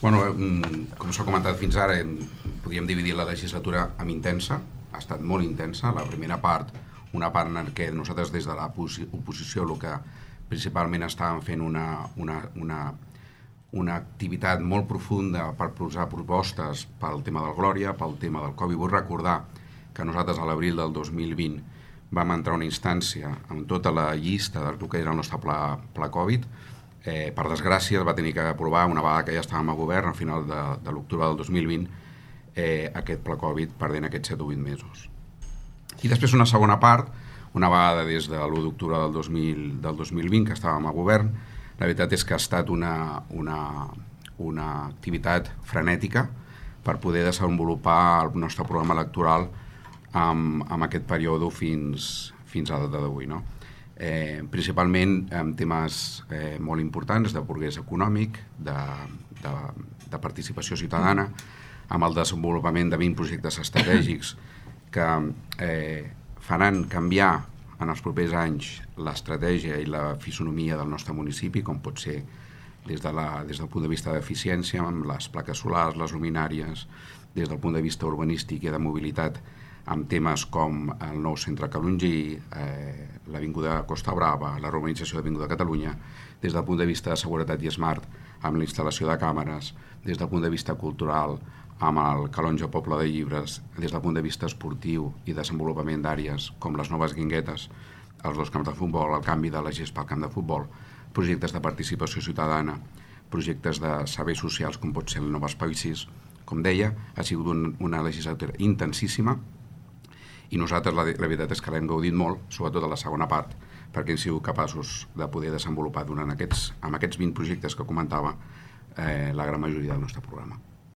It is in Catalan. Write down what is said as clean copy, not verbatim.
Com s'ha comentat fins ara, podríem dividir la legislatura amb intensa, ha estat molt intensa. La primera part, una part en què nosaltres des de l'oposició el que principalment estàvem fent una activitat molt profunda per posar propostes pel tema del Glòria, pel tema del Covid. Vull recordar que nosaltres a l'abril del 2020 vam entrar a una instància amb tota la llista del que era el nostre pla Covid. Per desgràcia es va tenir que aprovar, una vegada que ja estàvem a govern, al final de l'octubre del 2020, aquest pla Covid perdent aquests 7 o 8 mesos. I després una segona part, una vegada des de l'1 d'octubre del 2020 que estàvem a govern, la veritat és que ha estat una activitat frenètica per poder desenvolupar el nostre programa electoral amb aquest període fins a la data d'avui, no? Principalment amb temes molt importants de progrés econòmic, de participació ciutadana, amb el desenvolupament de 20 projectes estratègics que faran canviar en els propers anys l'estratègia i la fisonomia del nostre municipi, com pot ser des del punt de vista d'eficiència, amb les plaques solars, les luminàries, des del punt de vista urbanístic i de mobilitat, amb temes com el nou centre Calongí, l'Avinguda Costa Brava, la urbanització d'Avinguda Catalunya, des del punt de vista de seguretat i smart, amb la instal·lació de càmeres, des del punt de vista cultural, amb el Calonge Poble de Llibres, des del punt de vista esportiu i desenvolupament d'àrees com les noves guinguetes, els 2 camps de futbol, el canvi de la gespa al camp de futbol, projectes de participació ciutadana, projectes de serveis socials com pot ser el Nou Espai 6. Com deia, ha sigut una legislatura intensíssima i nosaltres la veritat és que l'hem gaudit molt, sobretot a la segona part, perquè hem sigut capaços de poder desenvolupar amb aquests 20 projectes que comentava la gran majoria del nostre programa.